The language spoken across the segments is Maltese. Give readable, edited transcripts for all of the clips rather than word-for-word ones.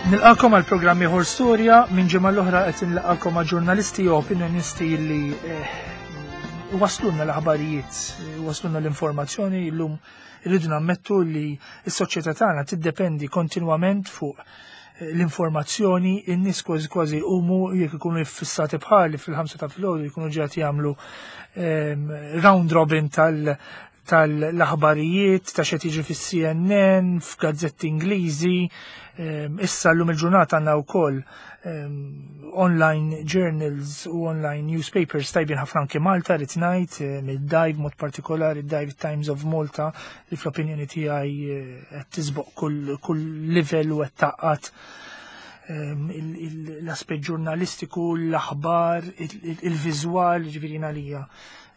Nilqakom għal programm ieħor storja minn ġimgħa l-oħra qed inlaqakom ma' ġurnalisti u opinjonisti li eh, waslunna l-aħbarijiet, waslunna l-informazzjoni llum irridu nammettu li s-soċjetà tagħna tiddependi kontinwament fuq eh, l-informazzjoni, in-nies kważi kważi jqumu jekk ikunu jiffissati bħali fil-ħamsa ta' filgħodu jkunu ġejat jagħmlu ehm, round robin tal tal-aħbarijiet ta' xed jiġri fis-CNN, f'gazzetti Ingliżi, ehm, issa llum il-ġurnata għandna wkoll ehm, online journals u online newspapers tajbin ħafna anke Malta rrid ngħid ehm, id-Dive mod partikolari id-Dive Times of Malta li fl-opinjoni tiegħi eh, qed tisboq kull, kull livell u qed taqqat l-aspett ġurnalistiku, l-aħbar, il-viżwal, ġifieri għalija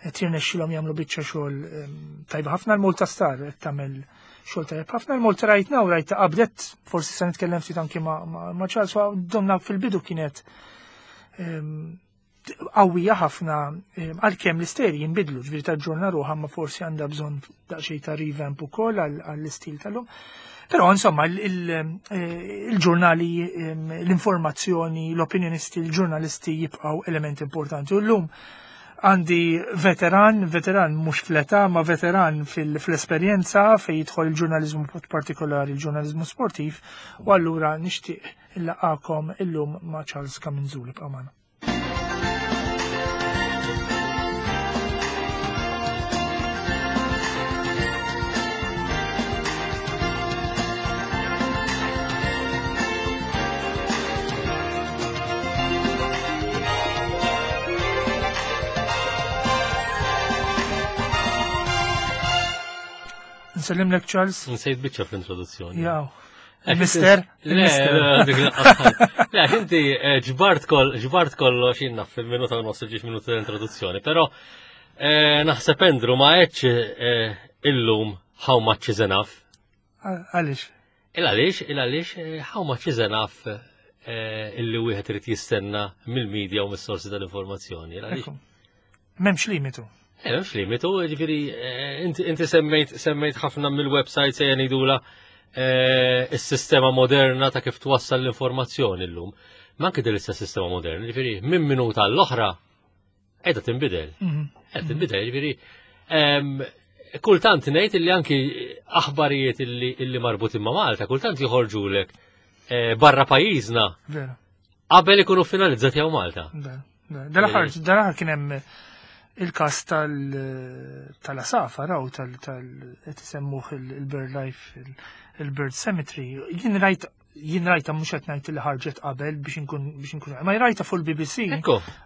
qed jirnexxilhom jagħmlu biċċa xogħol ehm, tajba ħafna l-Malta Star qed tagħmel xogħol tajjeb ħafna l-Malta Right Now rajt qabdet forsi se nitkellem ftit anki ma' Charles donna fil-bidu kienet ehm, qawwija ħafna ehm, għalkemm l-isteri jinbidlu ġifieri taġġorna ruħha ma forsi għandha bżonn daqsxejn ta' revamp ukoll għall-istil tal-lum. Però insomma eh, il-ġurnali, l-informazzjoni, l-opinjonisti, l-ġurnalisti jibqgħu element importanti. U llum għandi veteran, veteran mhux fl-età, ma veteran fil-esperjenza fejn jidħol il-ġurnaliżmu partikolari, il-ġurnaliżmu sportiv, u allura nixtieq illaqakom illum ma' Charles Kaminzuli b'amana. Nsellimlek Charles. Nsejt biċċa fl-introduzzjoni. Jaw. Mister? Le, le, inti eh, ġbart ġbart kollox jinnna fil-minuta u nofs ġiex minuta l-introduzzjoni, pero eh, naħseb Andrew ma għedx eh, illum how much is enough. Għalix? Il għalix, il għalix, how much is enough illi wieħed irid jistenna mill-medja u mis-sorsi tal-informazzjoni. M'hemmx limitu. Eh, m'hemmx limitu, ġifieri eh, inti semmejt semmejt ħafna mill-websites se ngħidula eh, is-sistema moderna ta' kif twassal l-informazzjoni llum. Ma anke din l-istess sistema moderna, ġifieri minn minuta l-oħra qiegħda tinbidel. Mhm. Qiegħda tinbidel, ġifieri kultant ngħid illi anki aħbarijiet illi marbutin ma' Malta, kultant joħorġulek barra pajjiżna. Qabel ikunu finalizzati hawn Malta. Dal-aħħar dal-aħħar kien hemm il-każ tal-asafa raw tal qed isemmuh il-Bird Life il-Bird Cemetery. Jien rajt jien rajta mhux qed ngħid li ħarġet qabel biex inkun biex inkun ma rajta fuq il-BBC.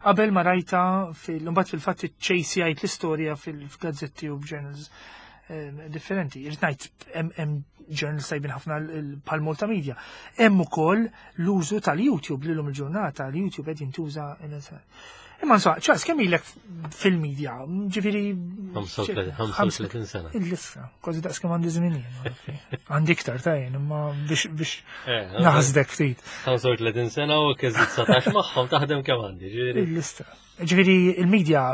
Qabel ma rajta fil mbagħad fil-fatt iċ-ċejsi jgħid l-istorja fil-gazzetti u f'journals eh, differenti. Irrid ngħid hemm journals tajbin ħafna bħal Malta Media. Hemm ukoll l-użu tal-YouTube li l-lum il-ġurnata, l-YouTube qed jintuża. Imma insomma, ċas, kemm ilek fil-medja? Ġifieri 35 sena. Il-lissa, kważi daqs kemm għandi żmien Għandi iktar ta' jien, imma biex biex eh, naħsdek ftit. 35 sena u kieżi 19 magħhom taħdem kemm għandi, ġifieri. Il-lista. Ġifieri il-medja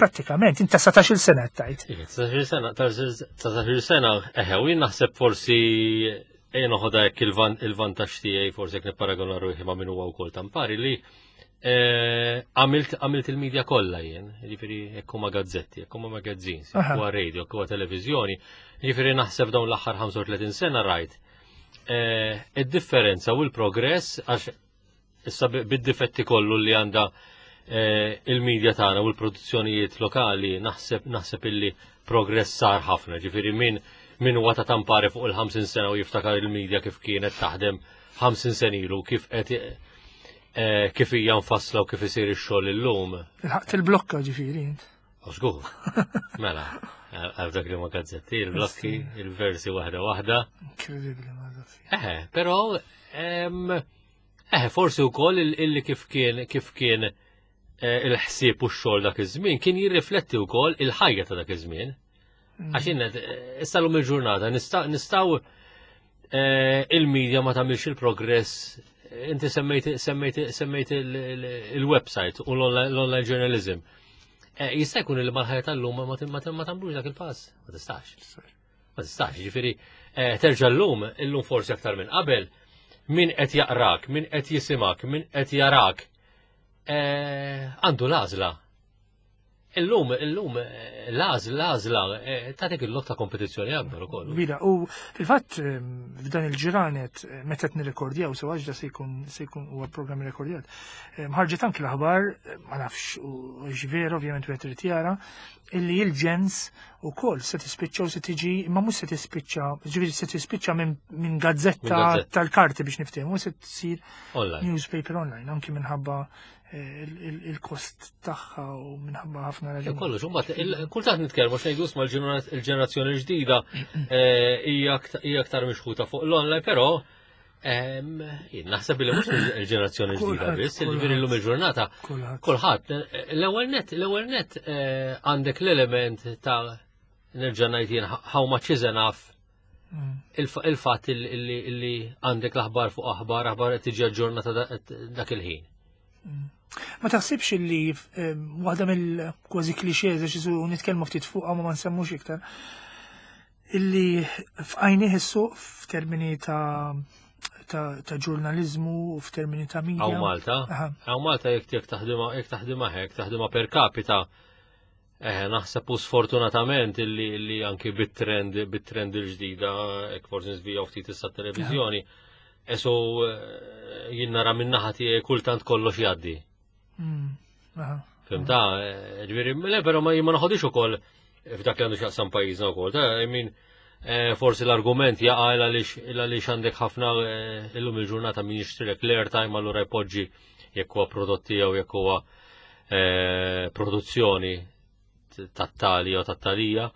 prattikament, inta 19 sena tajt. 19 sena, 19 sena, eħe, u jien naħseb forsi ejja noħodha hekk il-vantaġġ tiegħi forsi jekk nipparagona ruħi ma' min huwa wkoll tampari li eh, għamilt għamilt il-medja kollha jien, jiġifieri jekk huma gazzetti, jekk huma magazines, jekk huwa radio, jekk huwa televiżjoni, jiġifieri naħseb dawn l-aħħar 35 sena rajt eh, id-differenza u l-progress għax Issa bid-difetti kollu li għandha eh, il-medja tagħna u l-produzzjonijiet lokali naħseb naħseb illi progress sar ħafna, ġifieri min min huwa ta' tampari fuq il-50 sena u jiftakar il-medja kif kienet taħdem 50 sen ilu kif qed eh, kif hija mfassla u kif isir ix-xogħol illum. Il-ħaqt il-blokka ġifieri int. Żgur. Mela, għal dak li ma gazzetti, il-blokki, il-versi waħda waħda. Inkredibbli ma Eħe, però Eh, forsi wkoll illi kif kien kif kien eh, il-ħsieb u x-xogħol dak iż-żmien kien jirrifletti wkoll il-ħajja ta' dak iż-żmien. Mm. Għax innet, eh, issa lum il-ġurnata nistgħu eh, il-medja ma tagħmilx il-progress inti semmejt semmejt semmejt il-website u l-online journalism. Jista' jkun li mal-ħajja tal-lum ma tagħmlux dak il-pass, ma tistax. Ma tistax, ġifieri eh, terġa' llum, illum forsi aktar minn qabel, min qed jaqrak, min qed jisimak, min qed jarak, eh, għandu l-għażla. Illum, illum, l-għażla, l-għażla, eh, tagħtik il-lok ta' kompetizzjoni akbar ukoll. Kbira, u fil-fatt eh, f'dan il-ġranet eh, meta qed nirrekordjaw sew għax da se jkun se jkun huwa programm rekordjat. Ħarġet anki l-aħbar, ma nafx u veru ovvjament wieħed irid jara, illi il-ġens ukoll se tispiċċa u se tiġi, imma mhux se tispiċċa, ġifieri se tispiċċa minn gazzetta tal-karti biex niftehmu, se tsir newspaper online, anki minħabba il-kost tagħha u minħabba ħafna raġuni. Kollox, imbagħad kultant nitkellmu xejn ma l-ġenerazzjoni ġdida eh, hija aktar mixħuta fuq l-online, però jien naħseb li mhux il-ġenerazzjoni ġdida biss, ġifieri llum il-ġurnata kulħadd l-ewwel net l-ewwel net eh, għandek l-element ta' nerġa' ngħid jien how much is enough mm. il-fatt li għandek l-aħbar fuq aħbar, aħbar qed tiġi aġġornata dak il-ħin. Mm. Ma taħsibx li eh, waħda mill-kważi klixeż għax isu nitkellmu ftit fuq ma ma nsemmux iktar illi f'għajnih is-suq f'termini ta' ta' ġurnalizmu u f'termini ta' media. Għaw Malta, għaw Malta jek jek taħdima jek taħdima hekk, taħdima per capita Eh, naħseb u sfortunatament illi, illi anki bit-trend bit-trend il-ġdida, ek forsi nżvijaw ftit issa televizjoni, eso eh, jien nara minn naħa tiegħi kultant kollox jgħaddi. Mm, Fimta, eh, ġifieri, le però ma ma naħodix ukoll f'dak li għandu x'jaqsam pajjiżna wkoll, ta' I mean, eh, forsi l-argument jaqa' għaliex għandek ħafna illum il-ġurnata min jixtrilek l-airtime allura jpoġġi jekk huwa prodott tiegħu jekk huwa eh, produzzjoni tat-tali jew tat-talija.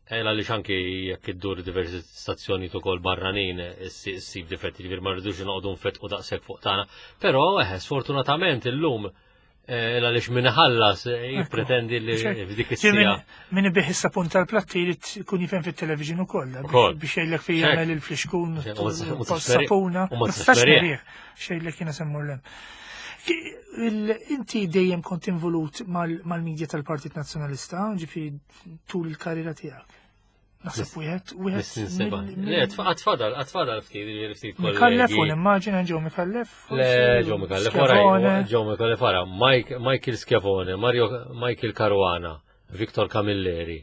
Eh, għaliex anki jekk iddur diversi stazzjoni ukoll barranin issib difetti ġifieri ma rridux noqogħdu nfetqu daqshekk fuq tagħna. Però eh, sfortunatament illum eh, għaliex min ħallas jippretendi li f'dik is-sija. Min ibih is-sapun tal-platti jrid ikun jifhem fit-television ukoll biex jgħidlek fejn jagħmel il-flixkun sapuna. Ma tistax Xejlek jiena semmur lem. Inti dejjem kont involut mal-medja tal-Partit Nazzjonalista, ġifi tul il-karriera tiegħek. Naħseb wieħed, wieħed. Le, għatfadal, għatfadal ftit, ftit kollegi. Mikallef u nimmaġina ġew Mikallef. Le, ġew Mikallef, wara, ġew Mikallef wara, Michael Schiavone, Mario Michael Caruana, Victor Camilleri.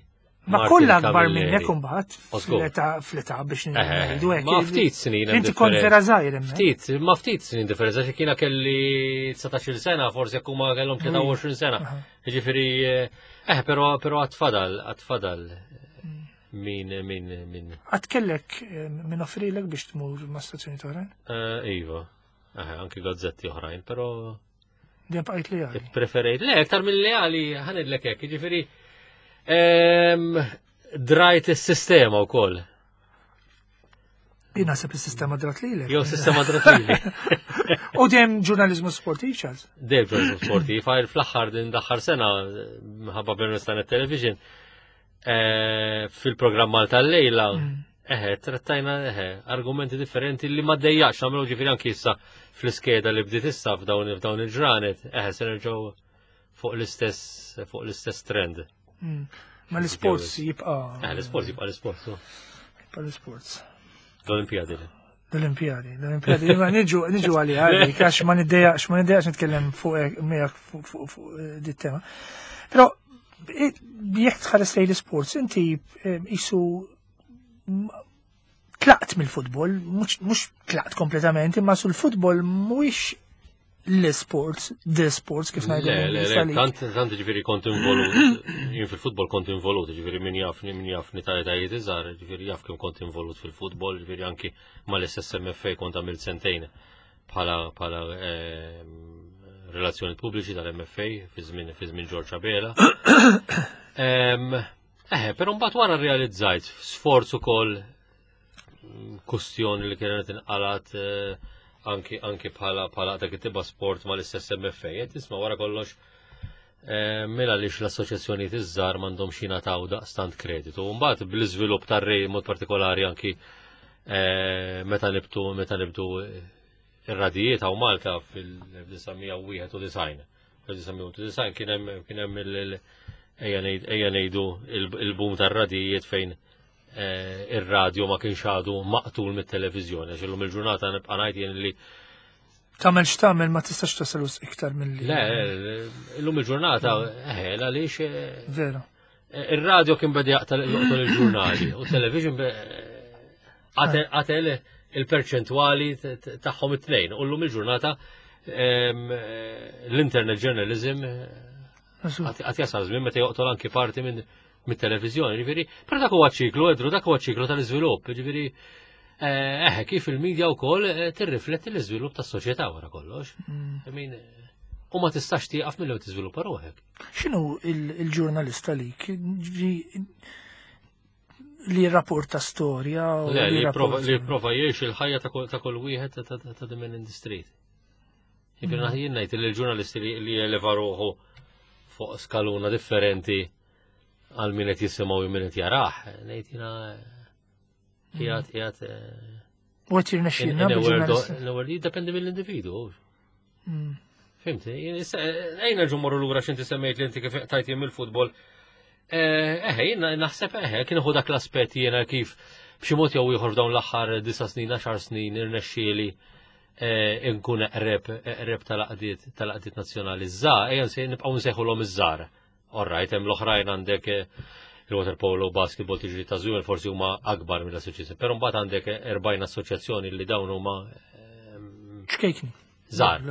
Ma kollha akbar minnek imbagħad fl-età biex ngħidu hekk. Ma ftit snin. Inti kont vera żgħir hemmhekk. Ftit, ma ftit snin differenza xi kiena kelli 19-il sena, forsi jekk huma kellhom 23 sena. Jiġifieri eh però però għatfadal, għatfadal mm. min min min. Għad kellek eh, min offrilek biex tmur ma' stazzjoni oħrajn? Eh, iva. Eh, anki gazzetti oħrajn, però Dejjem bqajt leali. Preferejt. Le, aktar minn leali ħanidlek hekk, jiġifieri drajt is-sistema wkoll. Jien naħseb is-sistema drat lilek. Jew sistema drat lili. U dejjem ġurnaliżmu sportiv, Charles? Dejjem ġurnaliżmu sportiv, għajr fl-aħħar din l-aħħar sena minħabba Bernard Television eh, fil-programm Malta l-lejla mm. Eħe, trattajna eħe, argumenti differenti li ma dejjax, għamlu ġifiri anki issa fl-iskeda li bdiet issa f'dawn f'dawn il-ġranet, eħe, se nerġgħu fuq l-istess fuq l-istess trend. Mm. Ma l-sports jibqa'. Eħe, l-sports jibqa' l-sports. Jibqa' l-sports. L-Olimpijadi. L-Olimpijadi, l-Olimpijadi, ma niġu niġu għalija, għax ma niddejjaqx, ma niddejjaqx nitkellem fuq miegħek fuq eh, dit tema. Però eh, jekk tħares lejn l-sports, inti eh, isu tlaqt mill-futbol, mhux tlaqt kompletament, imma sul futbol mhuwiex l-sports, the sports kif ngħidu. Le, le, tant tant ġifieri kont involut, jien fil-futbol kont involut, ġifieri min jafni, min jafni ta' etajiet iżgħar, ġifieri jaf kemm kont involut fil-futbol, ġifieri anki mal-SSMFA kont għamilt sentejn bħala bħala ehm, relazzjoni pubbliċi tal-MFA fi żmien fi żmien George Abela. Ehm, Eħe, però mbagħad wara realizzajt sforz ukoll mm, kustjoni li kienet inqalat eh, anki anki bħala bħala dak it-tiba sport mal-istess MFA, qed tisma' wara kollox eh, mela lix l-assoċjazzjonijiet iż-żgħar m'għandhomx jingħataw daqstant kreditu. Mbagħad bl-iżvilupp tar-rej mod partikolari anki eh, meta nibtu meta nibtu ir-radijiet hawn Malta fil-1991. 1991 kien hemm kien hemm ejja ngħidu il-boom tar-radijiet fejn ir-radju ma kienx għadu maqtul mit-televiżjoni, għax illum il-ġurnata nibqa' ngħid jien li Tagħmel x'tagħmel ma tistax tasal iktar mill-li. Le, illum il-ġurnata, għaliex. Vera. Ir-radio kien beda jaqtal joqtol il-ġurnali u television qatel il-perċentwali tagħhom it-tnejn. U llum il-ġurnata l-internet journalism għat jasal żmien meta joqtol anki parti minn mit-televiżjoni, ġifieri, però dak huwa ċiklu, Edru, dak huwa ċiklu tal-iżvilupp, ġifieri eh, kif il-medja wkoll eh, tirrifletti l-iżvilupp tas-soċjetà wara kollox. I mean, u ma tistax tieqaf milli tiżviluppa ruħek. X'inhu il-ġurnalista lik? Li rapporta storja u Le, li jipprova jgħix il-ħajja ta' kull wieħed ta' the man in the street. Jiġifieri jien ngħid li l-ġurnalisti li jeleva ruħu fuq skaluna differenti għal min qed jisimgħu u min qed jarah, ngħid jiena qiegħed qiegħed U qed jirnexxielna bil-ġurnalisti. L-ewwel jiddependi mill-individu. Fimti, ejna ġu morru lura x'inti semmejt li inti kif tajt jien mill-futbol. Eħe, jien naħseb eħe, kien hu dak l-aspett jiena kif b'xi mod jew ieħor f'dawn l-aħħar disa' snin, għaxar snin irnexxieli nkun eqreb eqreb tal-għaqdiet tal-għaqdiet nazzjonali żgħar, ejja nibqgħu nsejħulhom iż-żgħar. All right, hemm l-oħrajn għandek il-water polo, basketball, tiġri ta' żwiemel forsi huma akbar mill-assoċjazzjoni. Però mbagħad għandek 40 assoċjazzjoni li dawn huma ċkejkni. Żgħar.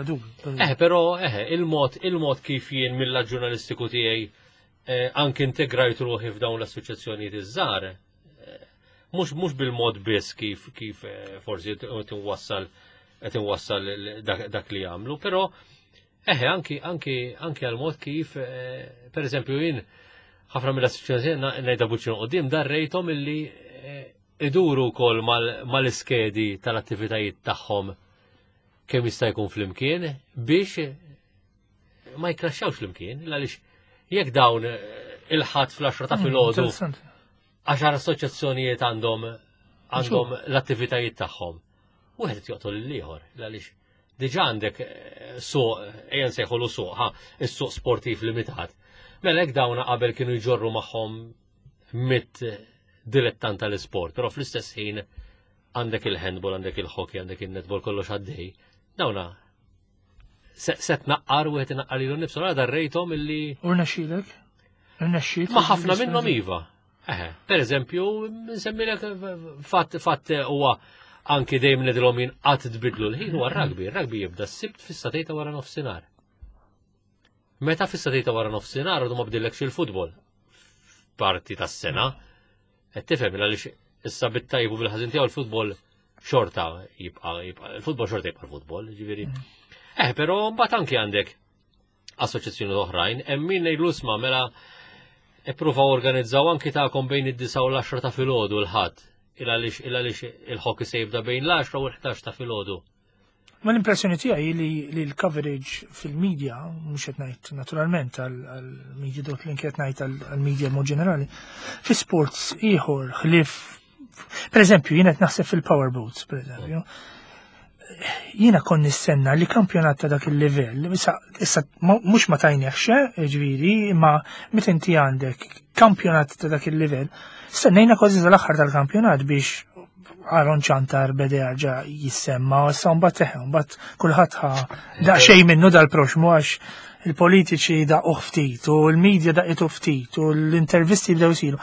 Eh, però eh, il-mod il-mod kif jien mill ġurnalistiku tiegħi anke integrajt ruħi f'dawn l-assoċjazzjonijiet iż-żgħar, mhux bil-mod biss kif kif forsi qed inwassal qed inwassal dak li jagħmlu, però eħe anki anki anki għal mod kif per eżempju jien ħafna mill-assoċjazzjoni ngħidha buċċinu qudiem darrejthom illi iduru wkoll mal-iskedi tal-attivitajiet tagħhom kemm jista' jkun flimkien biex ma jkraxxawx flimkien, għaliex jekk dawn il-ħadd fl-10 ta' filgħodu 10 assoċjazzjonijiet għandhom għandhom l-attivitajiet tagħhom. Wieħed qed joqtol lill-ieħor, għaliex diġà għandek suq, ejja nsejħulu suq, ha, is-suq sportiv limitat. Mela hekk dawn qabel kienu jġorru magħhom mit dilettant tal-isport, però fl-istess ħin għandek il-handball, għandek il-hockey, għandek il-netball, kollox għaddej. Dawna se tnaqqar u qed inaqqar lilu nnifsu, għara darrejthom illi. U rnexxielek? Rnexxiet? Ma ħafna minnhom iva. Eħe, per eżempju, nsemmilek fatt fatt huwa anki dejjem ngħidilhom jien qatt tbidlu l-ħin huwa r-rugby. Ir-rugby jibda s-Sibt fis-sagħtejn ta' wara nofsinhar. Meta fis-sagħtejn ta' wara nofsinhar għadu ma bdillekx il-futbol f'parti tas-sena. Qed tifhem għaliex issa bit-tajjeb u bil-ħażin tiegħu l-futbol xorta jibqa' jibqa' il-futbol xorta jibqa' l-futbol, ġifieri. Però mbagħad anki għandek assoċjazzjoni oħrajn, hemm min ngħidlu isma' mela ippruvaw organizzaw anki tagħkom bejn id-9 u l-10 ta' filgħodu l-Ħadd, il għaliex il għaliex il-hockey se jibda bejn l-10 u l-11 ta' filgħodu. Ma l-impressjoni tiegħi li l-coverage fil-media, mhux qed ngħid naturalment għall-media dot link qed ngħid għall-media mod ġenerali, fi sports ieħor ħlief, per eżempju, jien qed naħseb fil-powerboats, per eżempju, jiena kon nistenna li kampjonat ta' dak il-livell, issa mhux ma tajnehx, ġifieri, imma meta inti għandek kampjonat ta' dak il-livell, stennejna kważi tal-aħħar tal-kampjonat biex Aaron Ciantar beda jarġa' jissemma, u issa mbagħad teħe, mbagħad kulħadd ħa daqsxejn minnu dal-proxmu għax il-politiċi daqqu ftit u l-media daqqitu ftit u l-intervisti bdew isiru.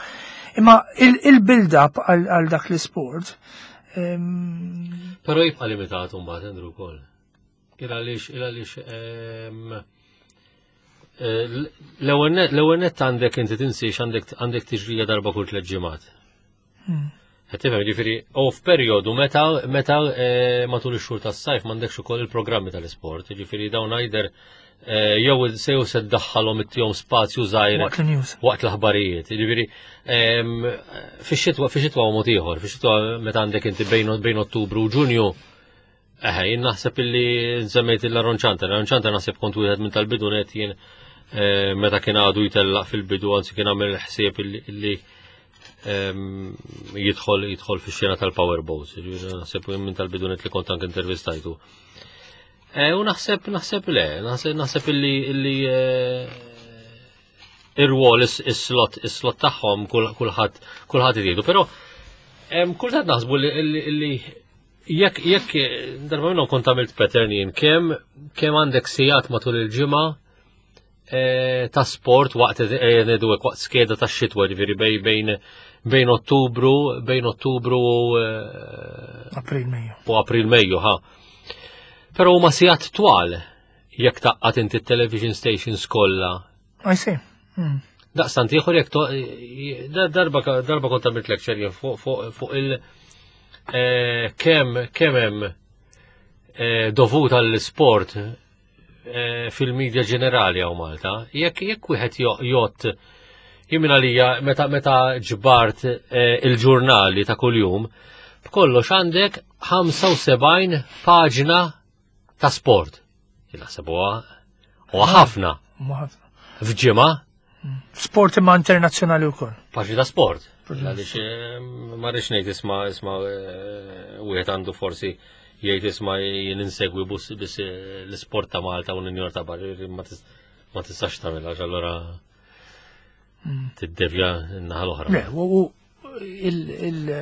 Imma il-build-up għal dak l-isport. Però jibqa' limitat mbagħad Andrew wkoll. Il għaliex, il għaliex, l-ewwel nett għandek inti tinsiex għandek tiġrija darba kull tliet ġimgħat. Qed tifhem, ġifieri, u f'perjodu meta matul ix-xhur tas-sajf m'għandekx ukoll il-programmi tal-isport, ġifieri dawn either jew se jew se ddaħħalhom ittihom spazju żgħir waqt il-news. Waqt l-aħbarijiet. Ġifieri, fix-xitwa huwa mod ieħor, fix-xitwa meta għandek inti bejn Ottubru u Ġunju, eħe, jien naħseb illi semmejt il-Aaron Ciantar, Aaron Ciantar naħseb kont wieħed minn tal-bidu net jien meta kien għadu jtellaq fil-bidu, anzi kien għamel ħsieb illi jidħol fix-xena tal-powerboats, ġifieri naħseb minn tal-bidu net li kont anke intervistajtu. U naħseb, naħseb le, naħseb, naħseb illi, illi ir-rwol, is-slot, is-slot tagħhom kulħadd iridu, però Kultant naħsbu li jekk jekk darba minnhom kont għamilt pattern jien kemm kemm għandek sigħat matul il-ġimgħa eh, ta' sport waqt eh, ngħidu hekk waqt skeda ta' xitwa ġifieri bej bejn bejn Ottubru bejn Ottubru u eh, April Mejju. U April Mejju ha. Però huma sigħat twal jekk taqqat inti television stations kollha. I see. Hmm. Daqstant ieħor jekk darba darba kont għamilt lecture jien fuq il eh, kemm kemm hemm eh, dovut għall-sport eh, fil-medja ġenerali hawn Malta, jekk jekk wieħed jgħod jien minn għalija meta meta ġbart il-ġurnali ta' kuljum, b'kollox għandek 75 paġna ta' sport. Jien naħseb huwa huwa ħafna. F'ġimgħa. Sport imma internazzjonali wkoll. Paġni ta' sport. Għaliex eh, ma rridx ngħid isma' isma' eh, wieħed għandu forsi jgħid isma' jien insegwi biss eh, l-isport ta' Malta u l-Unjoni ta' Barri ma tistax tagħmilha allura mm. tiddevja n-naħa l-oħra. Le, u il.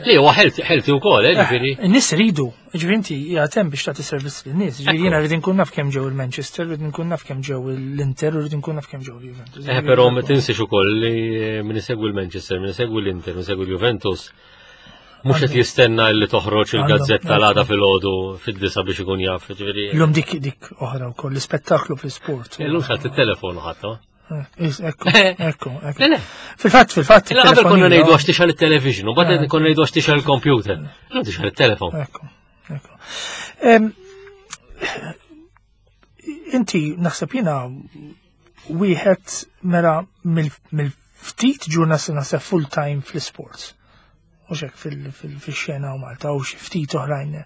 Li huwa ħelti wkoll, eh, ġifieri. Eh, in-nies iridu, ġifieri inti jagħtem biex tagħti servizz lin-nies, ġifieri jiena rrid inkun naf kemm ġew il-Manchester, rrid inkun naf kemm ġew l-Inter, rrid inkun naf kemm ġew l-Juventus. Eh, però ma tinsiex ukoll li min isegwi l-Manchester, min isegwi l-Inter, min isegwi l-Juventus, mhux qed jistenna li toħroġ il-gazzetta l-għada filgħodu fid-disa biex ikun jaf, ġifieri. Illum dik dik oħra wkoll l-ispettaklu fl-isport. Illum xatt it-telefon ħadd, Ekku, ekku, ekku. Fil-fatt, fil-fatt. Qabel konna ngħidu għax tixgħal it-television, u bagħad konna ngħidu għax tixgħal il-computer. Illum tixgħal it-telefon. Ekku, ekku. Inti naħseb jiena wieħed mela mill-ftit ġurnalisti naħseb full time fl-sports. U xek fil-xena u Malta u xi ftit oħrajn.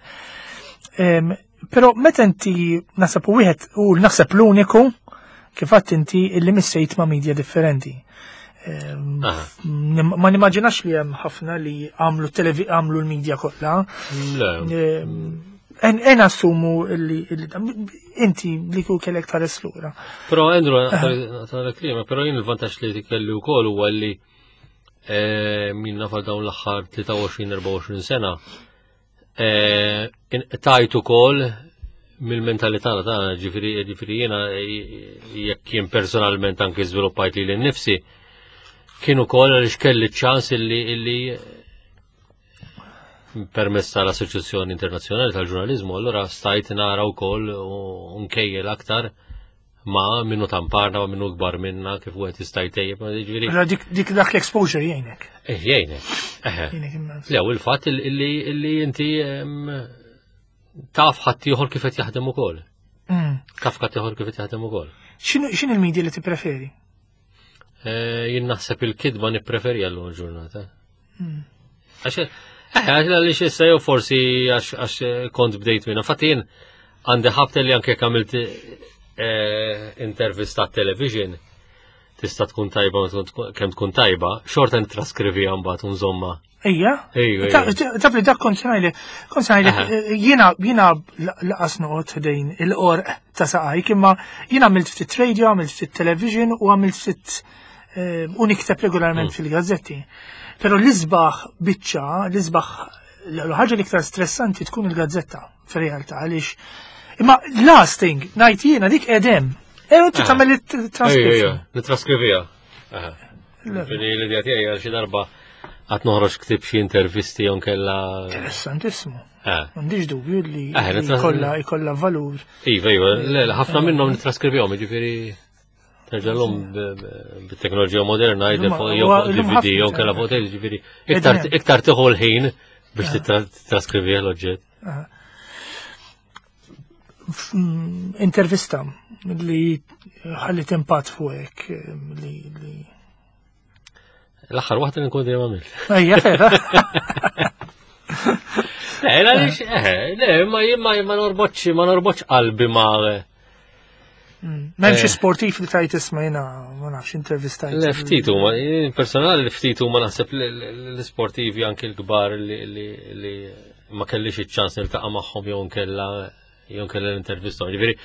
Però meta inti naħseb u wieħed u naħseb l-uniku kif għadt inti illi missejt ma' media differenti. Ma nimmaġinax li hemm ħafna li għamlu televi għamlu l-media kollha. En assumu li inti li ku kellek tħares lura. Però Andrew, naqra klima, però jien il-vantaġġ li kelli wkoll huwa li eh, min nafal dawn l-aħħar 23-24 sena eh, tajt ukoll mill-mentalità tagħna, ġifieri ġifieri jiena jekk jien personalment anke żviluppajt lili nnifsi, kien ukoll għaliex kelli ċans illi illi permezz tal-Assoċjazzjoni Internazzjonali tal-Ġurnaliżmu, allura stajt nara wkoll u nkejjel aktar ma minnu tamparna, ma minnu kbar minna, kif wieħed jista' jtejjeb, ma jiġifieri. Allora dik dik dak l-exposure jgħinek. Eh, jgħinek. Eħe. Jgħinek immens. Le, u l-fatt illi illi inti em, taf ħaddieħor kif qed jaħdem ukoll. Taf ħaddieħor kif qed jaħdem ukoll. X'inhu x'inhi l-media li tippreferi? Eh, Jien naħseb il-kidba nippreferi għallum il-ġurnata. Għax, eh, għax għaliex issa jew forsi għax għax kont bdejt minna. Fatt jien għandi ħabta li anke jekk għamilt eh, intervista television tista' tkun tajba ma tkun- kemm tkun tajba, xorta nitraskrivija mbagħad u nżomma. Ejja. Ejja, ejja. Taf li dak kont ngħidlek, kont ngħidlek eh, jiena jiena laqas noqgħod ħdejn il-qorq ta' saqajk, imma jiena għamilt ftit radio, għamilt ftit television u għamilt ftit eh, u nikteb regolarment fil-gazzetti. Però l-isbaħ biċċa, l-isbaħ l-ħaġa l-iktar stressanti tkun il-gazzetta fir-realtà għaliex imma last thing ngħid jiena dik edem. E inti tagħmel it-transcription. Nitraskrivija. Ġifieri l-idea tiegħi għal xi darba qatt noħroġ ktib xi intervisti jew nkella. Interessantissimu. M'għandix dubju li jkollha jkollha valur. Iva, iva, le, ħafna minnhom nitraskrivihom, jiġifieri terġalhom bit-teknoloġija moderna jidher fuq jew fuq DVD jew nkella fuq tape, jiġifieri iktar tieħu l-ħin biex titraskrivih l-oġġett. Intervista li ħallit impatt fuqek li li L-aħħar waħda li nkun dejjem għamilt. Ejja, vera. Le, għaliex, eh, le, ma ma ma norbotx, ma norbotx qalbi ma. M'hemmx sportiv li tajt isma' jiena ma nafx intervistajt. Le, ftit huma, personali ftit huma naħseb l-sportivi anki l-kbar li ma kellix iċ-ċans niltaqa' magħhom jew nkella jew nkella l-intervista. Ġifieri,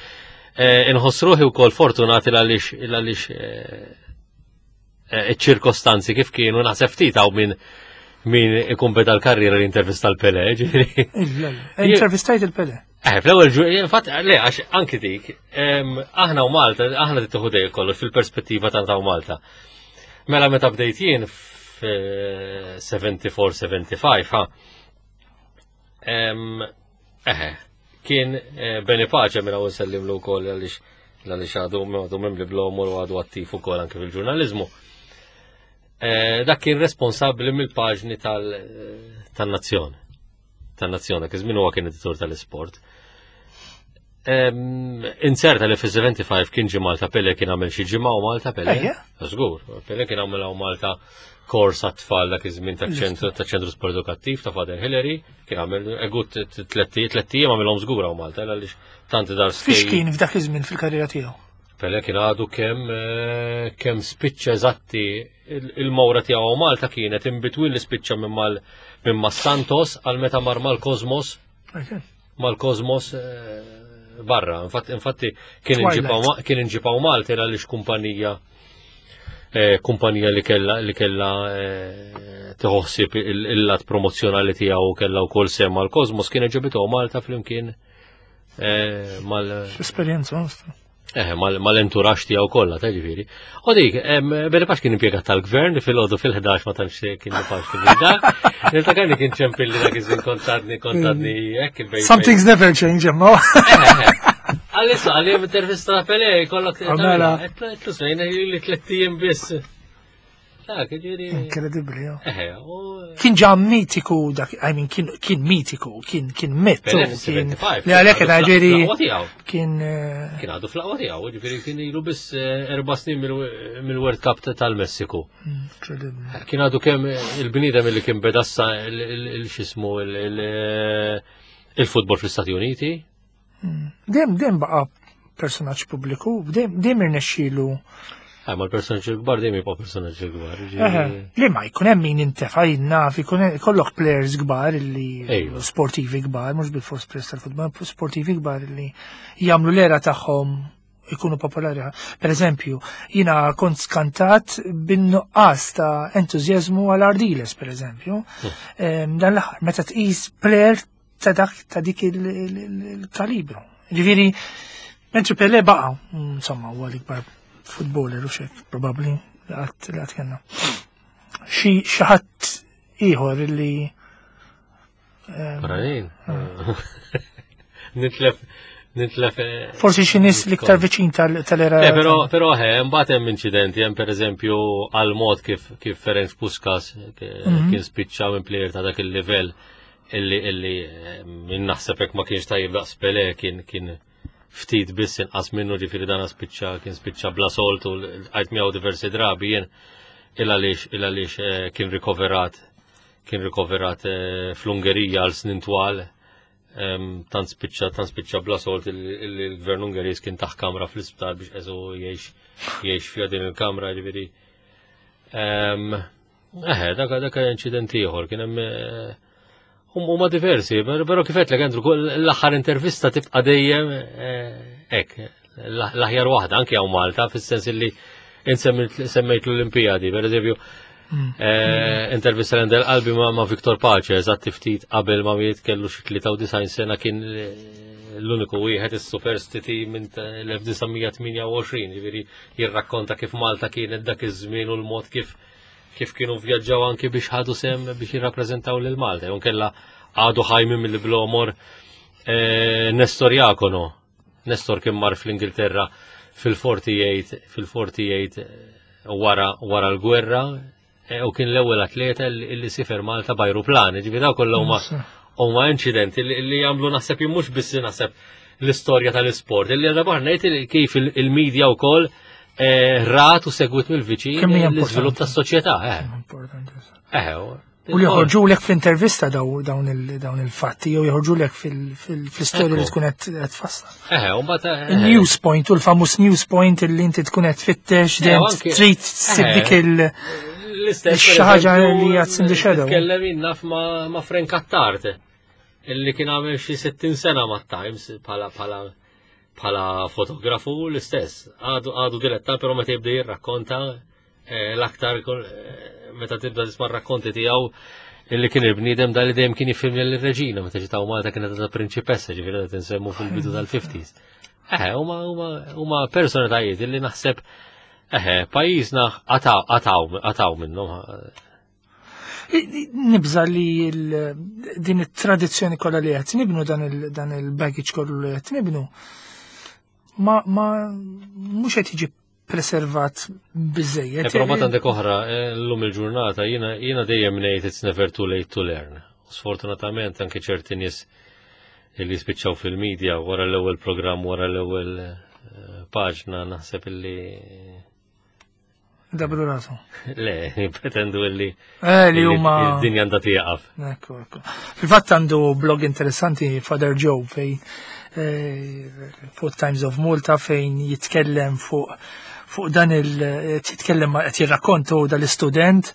eh, inħoss ruħi wkoll fortunati għaliex għaliex eh, eh, iċ-ċirkostanzi kif kienu naħseb ftit hawn minn min ikun beda l-karriera li intervista l-Pele, ġifieri. Intervistajt il-Pele. Eh, fl-ewwel ġu, infatti, le, għax anki dik, aħna u Malta, aħna tieħu dejjem kollox fil-perspettiva ta' ta' Malta. Mela meta bdejt jien f'74-75, ha. Eħe, kien eh, Beni Pace minn hawn nsellimlu wkoll għaliex għaliex għadu għadu mimli blomor u għadu attiv ukoll anke fil-ġurnaliżmu. Eh, dak kien responsabbli mill-paġni tal-nazzjon. Tan-nazzjon, dak iż-żmien huwa kien editur tal-isport. Inserta li fi-75 kien ġi Malta Pele kien għamel xi ġimgħa u Malta Pele. Żgur, Pele kien għamel hawn Malta kors għat-tfal dak iż-żmien taċ-ċentru taċ-ċentru sport edukattiv ta' Father Hillary, kien għamel egut tlettijiem għamilhom żgur hawn Malta għaliex tant dar Fiex kien f'dak iż-żmien fil-karriera tiegħu? Pele kien għadu kemm eh, kemm spiċċa eżatti il-mawra tiegħu Malta kienet in between li spiċċa minn mal minn ma' Santos għal meta mar mal-Kosmos mal-Kosmos eh, barra. Infatti kien inġipaw Malta għaliex kumpanija eh, kumpanija li kella li kella eh, tħossib il-lat promozzjonali tiegħu kella wkoll sem mal-Kosmos kien ġabitu Malta flimkien mal Esperjenza Eh, mal-enturax tiegħu kollha, ta' ġifieri. U dik, Beri Pax kien impjegat tal-gvern li fil-għodu fil-11 ma tantx kien pax kien da. Niftakar li kien ċempilli dak iż-żmien kontadni, kontadni hekk il-bejn. Some things never change, imma. Eh, eh, Għalissa, għalli intervista ta' Pele, kollok. Mela. Tlus, li tlettijiem biss. Incredibli, Kien ġa mitiku dak, I mean, kien mitiku, kien kien mittu. Kien li għalek ġeri. Kien. Eh, kien għadu fl-aqwa tiegħu, ġifieri kien ilu biss eh, erba' snin mill-World Cup tal-Messiku. Incredibli. Kien għadu kemm il-bniedem li kien bedassa il-xismu il-futbol fl-Istati Uniti. Dem, dem baqa personaġġ pubbliku, dem, dem irnexxielu. Eh, ma l-personaġġ kbar dejjem jibqa' personaġġ kbar. Li ma jkun hemm min intefa' jinnaf, jkun kollok players kbar li sportivi kbar, mhux bil-fors players tal-futbol, sportivi kbar li jagħmlu l-era tagħhom ikunu popolari. Per eżempju, jina kont skantat bin-nuqqas ta' entużjażmu għal Ardiles, per eżempju. Hmm. Dan l-aħħar, meta tqis player ta' dak ta' dik il-kalibru. Ġifieri, mentri Pele baqa, insomma, huwa l-ikbar futboler u xek, probabbli li qatt li qatt kellna. Xi xi ħadd ieħor li Barranin. Nitlef nitlef. Eh, Forsi xi nies l-iktar viċin tal-era. Eh, però però eh, mbagħad hemm inċidenti, hemm pereżempju għal mod kif kif Ferenc Puskas eh, mhm. kien spiċċa minn plejer ta' dak il-livell illi illi eh, min naħseb hekk ma kienx tajjeb daqs Pele kien kien ftit biss inqas minnu ġifieri dan spiċċa kien spiċċa bla solt u għajt miegħu diversi drabi jien il għaliex il għaliex eh, kien rikoverat kien rikoverat eh, fl-Ungerija għal snin twal tant spiċċa tant spiċċa bla solt il-gvern Ungeriż kien taħ kamra fl-isptar biex eżu jgħix jgħix fiha din il-kamra ġifieri. Eħe, dak dak inċident ieħor kien hemm eh, huma diversi, però kif qedlek Andrew, l-aħħar intervista tibqa' dejjem eh, hekk, l-aħjar waħda anke hawn Malta fis-sens li semmejt l-Olimpijadi, per eżempju, mm. eh, intervista l qalbi ma' Viktor Pace, eżatt ftit qabel ma miet kellu xi 93 sena kien l-uniku wieħed is-superstiti minn l-1928, ġifieri jirrakkonta kif Malta kienet dak iż-żmien u l-mod kif kif kienu vjaġġaw anki biex ħadu sem biex jirrappreżentaw lil Malta. Jew kella għadu ħajmi mill-blomor eh, Nestor Jakono. Nestor kien mar fl-Ingilterra fil-48 fil-48 eh, wara wara l-gwerra eh, u kien l-ewwel atleta li sifer Malta b'ajruplan. Ġifieri daw kollha huma huma inċidenti li jagħmlu naħseb mhux biss naħseb l-istorja tal-isport. Illi għadha ngħid kif il-medja wkoll eh, rat u segwit mill-viċin l-iżvilupp tas-soċjetà. Eh. Eh, u li joħorġu lek fl-intervista dawn il-fatti, jew joħorġu lek fl-istorja li tkun qed tfassal. Il-news point u l-famuż news point li inti tkun qed tfittex dejjem trid tsib dik il- l-istess ħaġa li għad in the shadow. Tkellem naf ma' Frank Attard. Illi kien għamel xi 60 sena mat-Times bħala bħala bħala fotografu l-istess. Għadu għadu diletta, però meta jibda jirrakkonta eh, l-aktar eh, meta tibda tisma' rakkonti tiegħu Illi kien il-bniedem dal li dejjem kien jiffilmja l-reġina meta ġiet Malta kienet ta' prinċipessa, ġifieri qed insemmu fil-bidu tal-50s. Eħe, huma personalitajiet illi naħseb eħe, pajjiżna qataw minnhom. Nibża li din it-tradizzjoni kollha li qed nibnu dan il-baggage kollu li qed nibnu ma mhux qed jiġi preservat biżejjed. Eh, però ma għandek oħra, eh, llum il-ġurnata jiena dejjem ngħid it's never too late to learn. Sfortunatament anke ċerti nies li spiċċaw fil-medja wara l-ewwel programm, wara l-ewwel eh, paġna naħseb illi Dabru rasu. Le, pretendu illi. Eh, li huma. Id-dinja għandha tieqaf. Ekku, ekku. Fil-fatt għandu blog interessanti Father Joe fejn eh, fuq Times of Malta fejn jitkellem fuq fuq dan il jitkellem qed jirrakkontu dal-istudent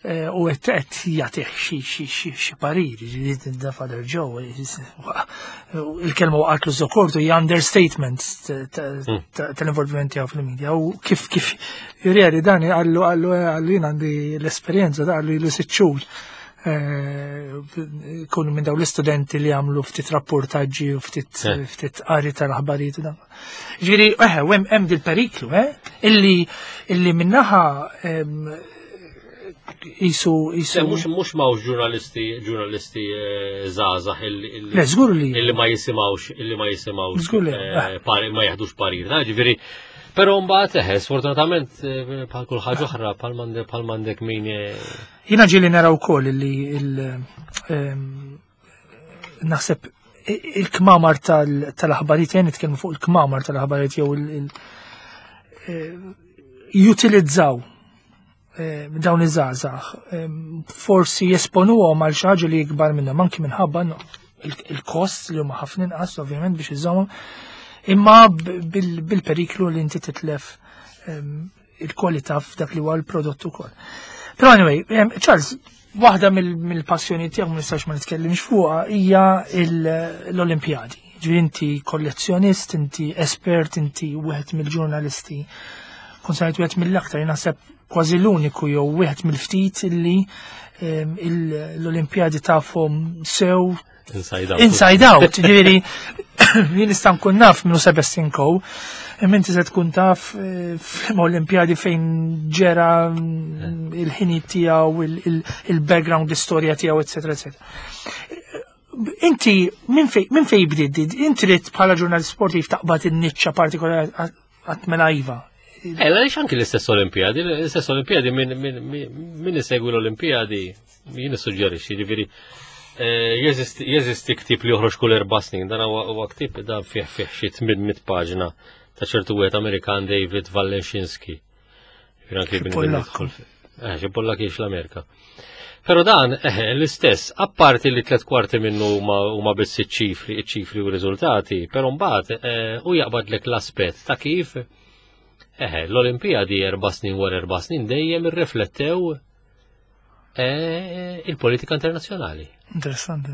eh, u qed qed jagħtih xi xi xi xi parir, ġifieri da Father Joe il-kelma waqgħatlu żokortu hija understatement tal-involviment tiegħu fil-media u kif kif juri dan għallu għallu għallu jien għandi l-esperjenza da għallu ilu sitt xhur eh, kunu minn daw l-istudenti li għamlu ftit rapportaġġi u ftit eh. ftit qari tal-aħbarijiet u dan. Ġifieri eħe hemm hemm dil-periklu, eh, illi illi minnaħa jisu jisu. Mhux mhux mawx ġurnalisti ġurnalisti eh, żgħażagħ illi Le żgur li illi ma jisimgħux illi ma jisimgħux Żgur li eh, ma jaħdux parir. Ġifieri Però mbagħad eħe, sfortunatament eh, bħal kull ħaġa oħra bħal m'għandek min. Jiena ġieli nara wkoll illi il ehm, naħseb il-kmamar tal-aħbarijiet, jien nitkellmu fuq il-kmamar tal-aħbarijiet jew eh, jutilizzaw eh, dawn iż-żgħażagħ, eh, forsi jesponuhom għal xi ħaġa li ikbar minnhom anki minħabba il-kost li huma ħafna inqas ovvjament biex iżommhom, imma bil-periklu li inti titlef il-kwalità f'dak li huwa l-prodott ukoll. Però anyway, Charles, waħda mill-passjoni tiegħek ma nistax ma nitkellimx fuqha hija l-Olimpjadi. Ġifieri inti kollezzjonist, inti espert, inti wieħed mill-ġurnalisti. Kont sajt wieħed mill-aktar, naħseb kważi l-uniku jew wieħed mill-ftit illi l-Olimpjadi tafhom sew Inside out. Inside out, ġifieri jien nista' nkun naf minnu Sebastian Coe, imma inti se tkun taf eh, fl-Olimpjadi fejn ġera mm, il-ħini tiegħu, il-background, l-istorja tiegħu, eċetera, eċetera. Inti minn fej bdiet, inti trid bħala ġurnalist sportiv taqbad in-niċċa partikolari għat mela iva. Eh, għaliex anki l-istess Olimpijadi, l-istess Olimpijadi minn isegwi l-Olimpijadi, jien nissuġġerixxi, ġifieri eh, jeżisti ktieb li joħroġ kull erba' snin, dan huwa ktieb dan fih fih xi 800 paġna ta' ċertu wieħed Amerikan David Valenshinski. Eh, xi Pollak jiex l-Amerika. Pero dan, eh, l-istess, apparti li tlet kwarti minnu huma biss iċ-ċifri, iċ-ċifri u riżultati, pero mbagħad eh, u jaqbadlek l-aspett ta' kif eh, l-Olimpijadi erba' snin wara erba' snin dejjem irriflettew eh, il-politika internazzjonali. Interessanti.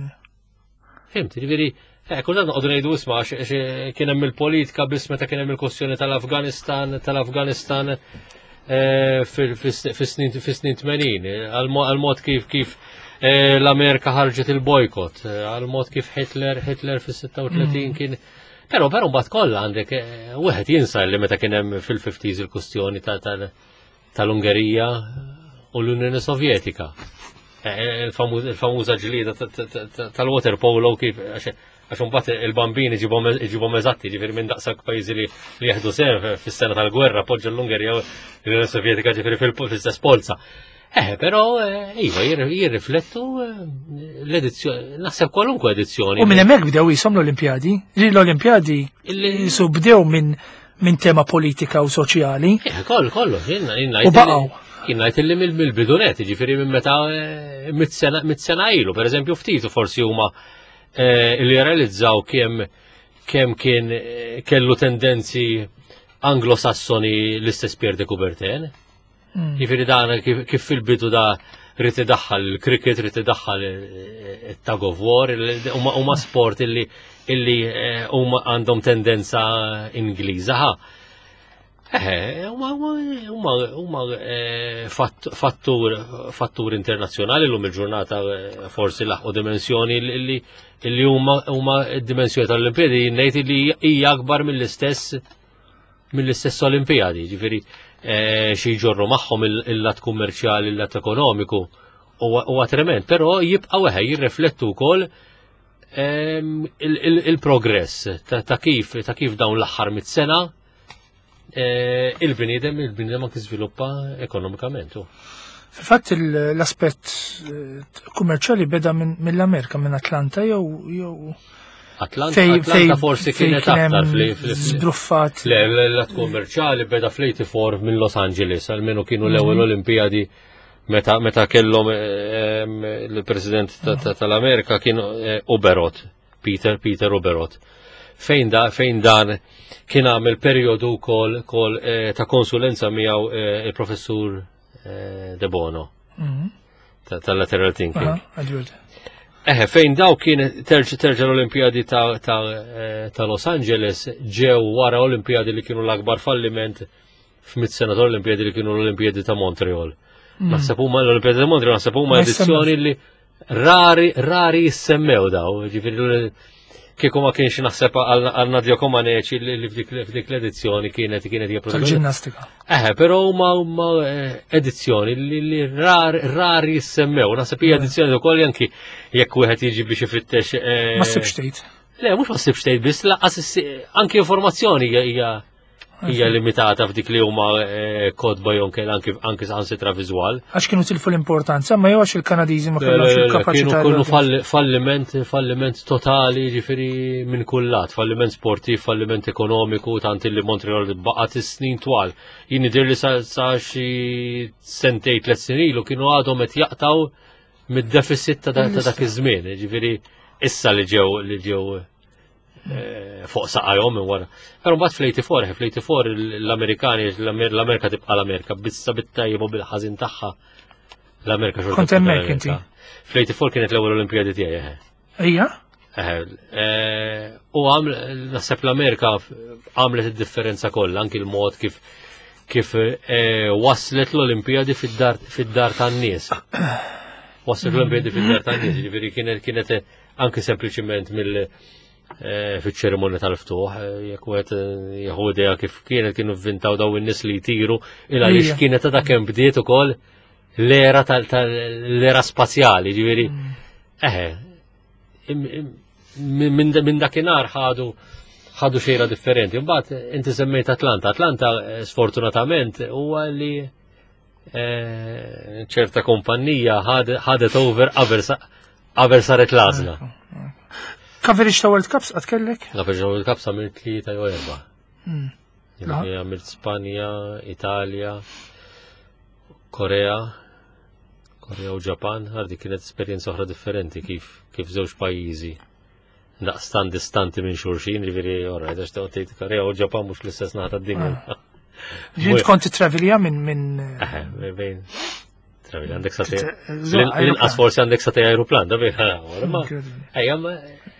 Fimt, ġifieri, eh, kultant noqogħdu ngħidu isma' għax kien hemm il-politika biss meta kien hemm il-kwestjoni tal-Afganistan, tal-Afganistan eh, fis-snin 80, għal-mod kif kif eh, l-Amerika ħarġet il-bojkot, għal-mod kif Hitler, Hitler fis-36 mm. kien Però però mbagħad kollha għandek wieħed jinsa li meta kien hemm fil-50s il-kwestjoni tal-Ungerija u l-Unjoni Sovjetika. Eh, eh, il-famuża ġlieda tal-water polo kif għax imbagħad il-bambini ġibhom eżatti, ġifieri minn daqshekk pajjiżi li jieħdu sehem fis-sena tal-gwerra poġġa l-Ungerija u l-Unjoni Sovjetika ġifieri fil-istess polza. Eh, però iva jirriflettu l-edizzjoni, naħseb kwalunkwe edizzjoni. U minn hemmhekk bdew jisom l-Olimpjadi. L-Olimpjadi jisu bdew minn minn tema politika u soċjali. Eh, kollu, kollu, jenna. U baqgħu. Jien ngħid illi mill-bidunet, jiġifieri minn meta eh, mit-sena ilu, pereżempju ftit u forsi huma eh, li realizzaw kemm kemm kien kellu tendenzi anglosassoni l-istess Pierre de Coubertin. Jiġifieri dan kif fil-bidu da rrid idaħħal il-cricket, rrid idaħħal it-tug of war, huma sport illi illi eh, huma għandhom tendenza Ingliża. Huma eh, fattur fattur internazzjonali l-lum il-ġurnata eh, forsi laħqu dimensjoni li huma huma d-dimensjoni tal-Olimpijadi ngħid li hija akbar mill-istess mill-istess Olimpijadi, ġifieri eh, xi jġorru magħhom il-lat kummerċjali, il-lat ekonomiku huwa trement, però jibqgħu eħe jirriflettu wkoll il-progress ta' kif ta' kif dawn l-aħħar mit-sena eh, il-bniedem il-bniedem anki żviluppa ekonomikament. Fil-fatt l-aspett eh, kummerċjali beda mill-Amerika, minn Atlanta jew jew Atlanta, Atlanta forsi kienet aktar fl-żbruffat. Le, l-lat kummerċjali beda fl-84 minn Los Angeles, almenu kienu l-ewwel mhm. Olimpijadi Meta, meta kellhom il-President tal-Amerika kien eh, Uberot, Peter Peter Uberot. Fejn, da, fejn dan kien għamel perjodu wkoll kol, eh, ta' konsulenza miegħu eh, il-professur De Bono mhm. tal-lateral thinking. Eħe, fejn daw kien terġa terġa l-Olimpijadi ta', ta, ta Los Angeles ġew wara Olimpijadi li kienu l-akbar falliment f'mit sena ta' Olimpijadi li kienu l-Olimpijadi ta' Montreal. Naħseb huma l-Olimpijadi ta' Montreal naħseb huma edizzjoni li rari rari jissemmew daw, ġifieri kieku ma kienx naħseb għal Nadia Comaneci li f'dik l-edizzjoni kienet kienet hija Tal-ġinnastika. Eħe, però huma huma eh, edizzjoni li rari jissemmew. Naħseb hija mm. edizzjoni wkoll anki jekk wieħed jiġi biex ifittex. Eh, ma ssibx tgħid. Le, mhux ma ssibx tgħid biss laqas anki informazzjoni hija hija limitata f'dik li huma eh, kotba jew anke anke saħansitra viżwal. Għax kienu tilfu l-importanza, ma jew għax il-Kanadiżi ma kellhomx il-kapaċità. Kienu falliment, falliment totali, ġifieri minn kull lat, falliment sportiv, falliment ekonomiku, tant li Montreal baqgħet is-snin twal. Jien idher li sa xi sentej tliet snin ilu kienu għadhom qed jaqtaw mid-deficit ta' dak iż-żmien, ġifieri issa li ġew li ġew Eh, fuq saqajhom minn wara. Però mbagħad fl-84, fl-84 l-Amerikani, l-Amerika tibqa' l-Amerika, bissa bit-tajjeb u bil-ħażin tagħha l-Amerika xorta. Kont hemmhekk inti. Fl-84 kienet l-ewwel Olimpijadi tiegħi. Eh. Ejja? Eh, u għam naħseb l-Amerika għamlet id-differenza kollha, anki l-mod kif kif waslet l-Olimpijadi fid-dar tan-nies. Waslet l-Olimpijadi fid-dar tan-nies, ġifieri kienet kienet anki sempliċiment mill eh, fiċ-ċerimonja tal-ftuħ, eh, jekk wieħed eh, jieħu idea kif kienet kienu vvintaw daw in-nies li jtiru, il għaliex kienet ta' kemm bdiet ukoll l-era tal-era spazjali, ġifieri. Mm. Eħe, minn dakinhar ħadu ħadu xejra differenti. Mbagħad inti semmejt Atlanta. Atlanta sfortunatament huwa li Eh, ċerta kumpanija ħadet over qabel saret l-għażla. Coverage ta' World Cups għad kellek? Coverage ta' World Cups għamilt tlieta jew erba'. Hmm. Għamilt Spanja, Italja, Korea, Korea u Ġapan, għardi kienet esperjenza oħra differenti kif kif żewġ pajjiżi daqstan distanti minn xulxin, ġifieri orra, għax tgħid Korea u Ġapan mhux l-istess naħa tad-dinja. Ah. Ġint kont travelja minn minn. Bejn. Travelja għandek sa L-inqas forsi għandek sa aeroplan, da bejn. Ejja,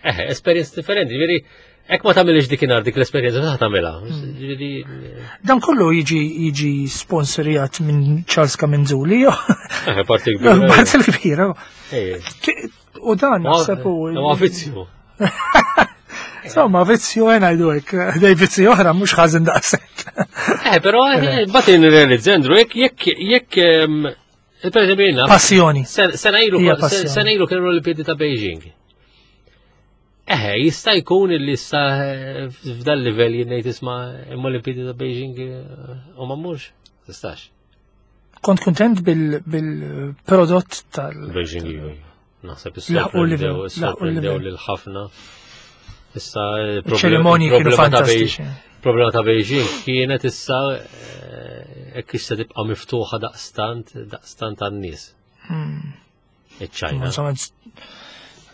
eh, esperjenza differenti, ġifieri Ek ma tagħmilx dikinhar dik l-esperjenza ta' tagħmilha. Hmm. Dan kollu jiġi jiġi sponsorjat minn Charles Kamenzuli. Eh, parti kbira. Parti kbira. U dan naħseb u. Huwa vizzju. Insomma, vizzju għena jdu hekk, dej vizzju oħra mhux ħażin daqshekk. Eh, però eh, mbagħad nirrealizza Andrew, jekk jekk jekk per eżempju Passjoni. Sena ilu sena ilu kienu l-Olimpiadi ta' Beijing. Eh, jista' jkun li issa eh, f'dan livell jien ngħid isma' imma l-Olimpiadi ta' Beijing u ma mmurx. Tistax. Kont kontent bil-prodott tal- Beijing iva. Naħseb is-sorprendew lil ħafna. Issa ċerimonji kienu fantastiċi. Problema ta' Beijing kienet issa eh, hekk issa tibqa' miftuħa daqstant daqstant għan-nies. Hmm. Iċ-Ċajna.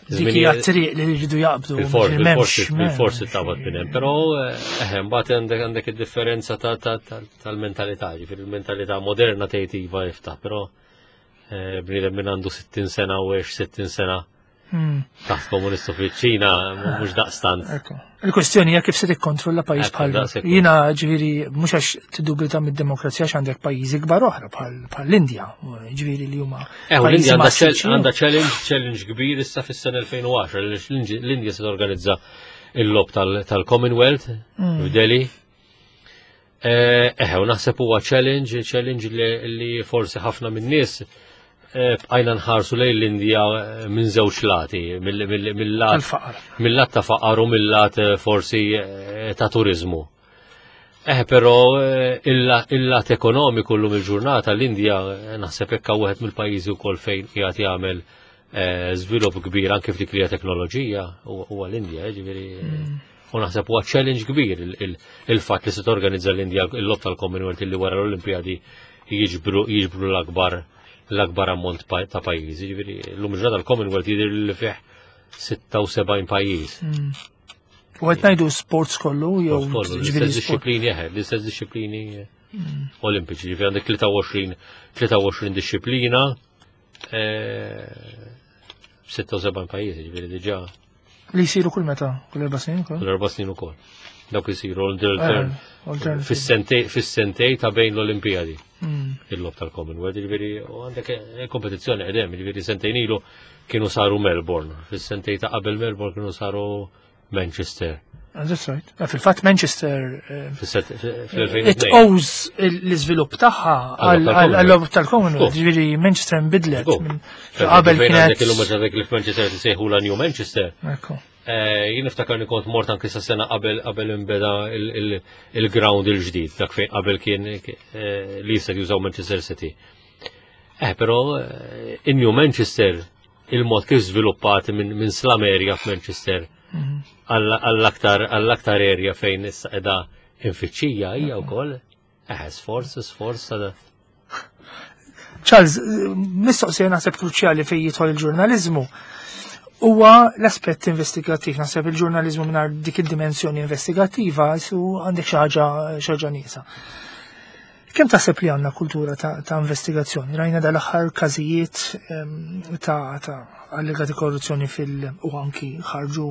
Dik hija triq li jridu jaqbdu. Il-forsi tabad minn hemm, però eh, mbagħad għandek għandek id-differenza tal-mentalità, ġifieri il-mentalità moderna tgħid iva iftaħ, però eh, bniedem minn għandu 60 sena u għex 60 sena. Taħt komunistu fiċ-Ċina mhux daqstant. Il-kwestjoni hija kif se tikkontrolla pajjiż bħal jiena ġifieri mhux għax tiddubita mid-demokrazija għax għandek pajjiżi kbar oħra bħal l-Indja, ġifieri li huma. Eh, l-Indja għandha challenge challenge kbir issa fis-sena 2010 l-Indja se torganizza il-lob tal-Commonwealth f'Delhi. Eh, eh, u naħseb huwa challenge, challenge li forsi ħafna minn nies bqajna nħarsu lejn l-Indja minn żewġ lati, mill-lat ta' faqar u mill-lat forsi ta' turizmu. Eh, però il-lat ekonomiku l-lum il-ġurnata l-Indja naħseb hekk wieħed mill-pajjiżi wkoll fejn qiegħed jagħmel żvilupp kbir anke f'dik li hija teknoloġija huwa l-Indja, ġifieri. U naħseb huwa challenge kbir il-fatt li se torganizza l-Indja l-logħob tal-Commonwealth li wara l-Olimpjadi jiġbru jiġbru l-akbar ammont ta' pajjiżi. Ġifieri llum ġrada l-Commonwealth jidher li fih 76 pajjiż. U qed ngħidu sports kollu jew l-istess disċiplini eħe, l-istess disċiplini olimpiċi, ġifieri għandek 23 23 disċiplina 76 pajjiżi, ġifieri diġà. Li jsiru kull meta, kull 4 snin ukoll? Kull 4 snin ukoll. Dawk isiru fis-sentej ta' bejn l-Olimpijadi. Il-logħob tal-Commonwealth, ġifieri u għandek kompetizzjoni qedem, ġifieri sentejn ilu kienu saru Melbourne, fis-sentej ta' qabel Melbourne kienu saru Manchester. That's right. Fil-fatt Manchester fl-2002. It owes l-iżvilupp tagħha għall-logħob tal-Commonwealth, ġifieri Manchester nbidlet qabel kienet. Illum meta dik li f'Manchester tisejħu la New Manchester. Jien niftakar li kont mort anki sa sena qabel qabel imbeda il-ground il-ġdid, dak fejn qabel kien li jista' jużaw Manchester City. Eh, però in-New Manchester il-mod kif żviluppat minn slum area f'Manchester għall-aktar area fejn issa qiegħda infittxija hija wkoll sforz sforz ta' Charles, mistoqsija naħseb kruċjali fejn jidħol il-ġurnaliżmu huwa l-aspett investigattiv. Naħseb il-ġurnaliżmu mingħajr dik id-dimensjoni investigattiva su għandek xi ħaġa xi ħaġa nieqsa. Kemm taħseb li għandna kultura ta' investigazzjoni? Rajna dal-aħħar każijiet ta' allegati korruzzjoni fil- u anki ħarġu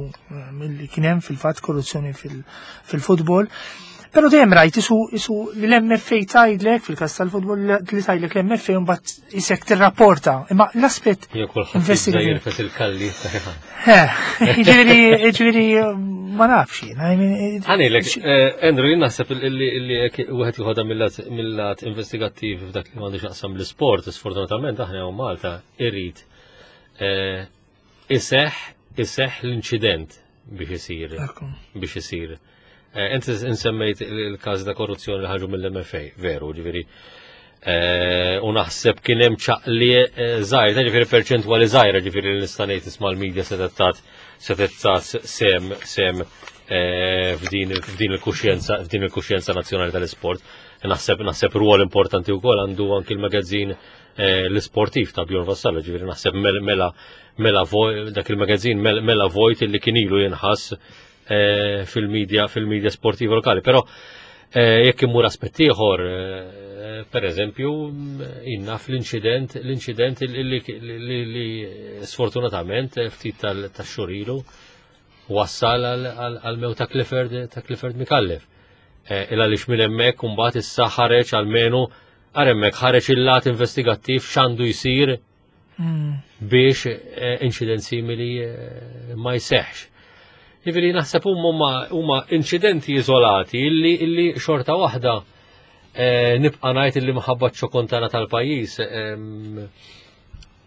milli kien hemm fil-fatt korruzzjoni fil-futbol. Però dejjem rajt isu li l-MFA tgħidlek fil-każ tal-futbol li tgħidlek l-MFA mbagħad isek tirrapporta. Imma l-aspett Jew kulħadd investigativ. Jirfes il-kalli. Ġifieri ma nafx jiena. I mean, Ħanilek, Andrew, jien naħseb illi jekk wieħed joħodha mill-lat investigattiv f'dak li m'għandux jaqsam l-isport, sfortunatament aħna hawn Malta irrid iseħ l-inċident biex isir biex isir. Inti insemmejt il-każ ta' korruzzjoni li ħarġu mill-MFA, veru, ġifieri. U naħseb kien hemm ċaqli żgħir, ġifieri perċentwali żgħira, ġifieri li nista' ngħid isma' l-medja se sem f'din il-kuxjenza nazzjonali tal-isport. Naħseb rwol importanti wkoll għandu anki l-magazzin l-isportiv ta' Bjorn Vassallo, ġifieri naħseb mela dak il-magazzin mela vojt li kien ilu jinħass fil-media sportiva lokali. Però jekk immur aspett ieħor, per eżempju, inna fl-inċident li sfortunatament ftit tax-xhur ilu wassal għal-mew ta' Clifford Micallef. Illa li minn hemmhekk imbagħad issa ħareġ almenu għar hemmhekk ħareġ il-lat investigattiv x'għandu jsir biex inċident simili ma jseħx. Jiġifieri naħseb huma inċidenti iżolati illi xorta waħda nibqa' ngħid illi minħabba ċ-ċokon tagħna tal-pajjiż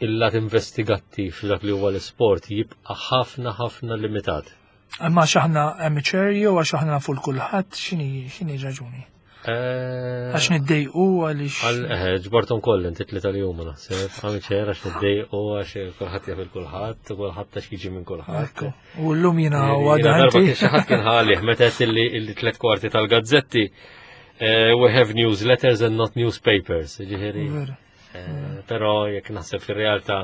il-lat investigattiv dak li huwa l-isport jibqa' ħafna ħafna limitat. Imma għax aħna amateur jew għax aħna nafu l-kulħadd x'inhi raġuni? Għax niddejqu għaliex. Ġbartom koll inti tlieta li huma naħseb, amateur għax niddejqu għax kulħadd jaf il-kulħadd, u kulħadd għax jiġi minn kulħadd. U llum jiena u għada Darba kien xi ħadd kien ħalih meta qed illi tliet kwarti tal-gazzetti we have newsletters and not newspapers, ġifieri. Però jekk naħseb fir-realtà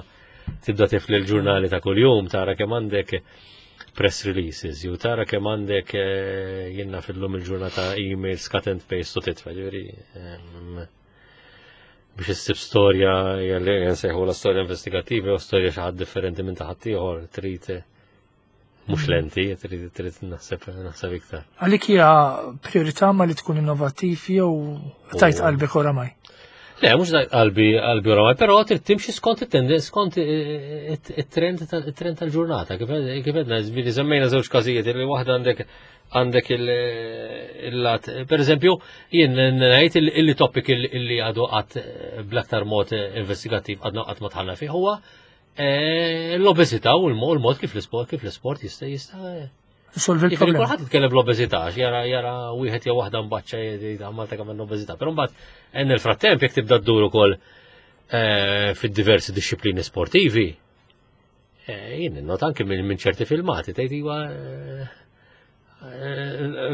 tibda tifli l-ġurnali ta' kuljum tara kemm għandek press releases, jew tara kemm għandek jiena fil-lum il-ġurnata emails cut and paste u titfa', ġifieri. Biex issib storja li nsejħu la storja investigattiva u storja xi ħadd differenti minn ta' ħaddieħor trid mhux lenti, trid trid naħseb naħseb iktar. Għalik hija priorità ma li tkun innovattiv jew tajt qalbek oramaj? Le, mhux tajt qalbi qalbi oramaj, però trid timxi skont it-tendenz, skont it-trend it-trend tal-ġurnata. Kif għedna, ġifieri semmejna żewġ każijiet li waħda għandek għandek il-lat. Per eżempju, jien ngħid illi topic illi għadu qatt bl-aktar mod investigattiv għadna qatt ma tħallna fih huwa Eh, l-obeżità u l-mod kif l-isport kif l-isport jista' jista' Solvi l-problema. Kulħadd jitkellem l-obeżità, jara jara wieħed jew waħda mbaċċa jgħid Malta kemm l-obeżità, però mbagħad hemm il-frattemp jekk tibda ddur ukoll eh, fid-diversi disċiplini sportivi, eh, jien not anke minn ċerti filmati tgħid iva